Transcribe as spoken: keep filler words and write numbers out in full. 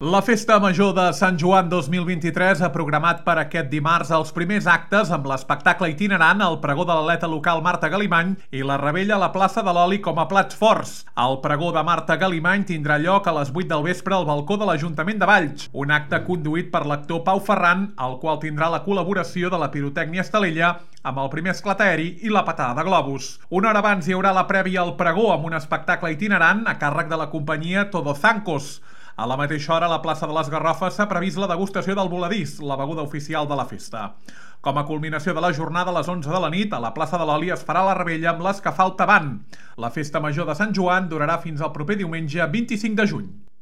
La Festa Major de Sant Joan dos mil vint-i-tres ha programat per aquest dimarts els primers actes amb l'espectacle itinerant, el pregó de l'atleta local Marta Galimany i la rebella a la plaça de l'Oli com a plats forts. El pregó de Marta Galimany tindrà lloc a les vuit del vespre al balcó de l'Ajuntament de Valls, un acte conduït per l'actor Pau Ferran, el qual tindrà la col·laboració de la pirotècnia Estalella amb el primer esclat aeri i la patada de globus. Una hora abans hi haurà la prèvia al pregó amb un espectacle itinerant a càrrec de la companyia Todo Zancos. A la mateixa hora, a la plaça de les Garrofes s'ha previst la degustació del voladís, la beguda oficial de la festa. Com a culminació de la jornada, a les onze de la nit, a la plaça de l'Oli es farà la rebella amb l'escafalta band. La Festa Major de Sant Joan durarà fins al proper diumenge vint-i-cinc de juny.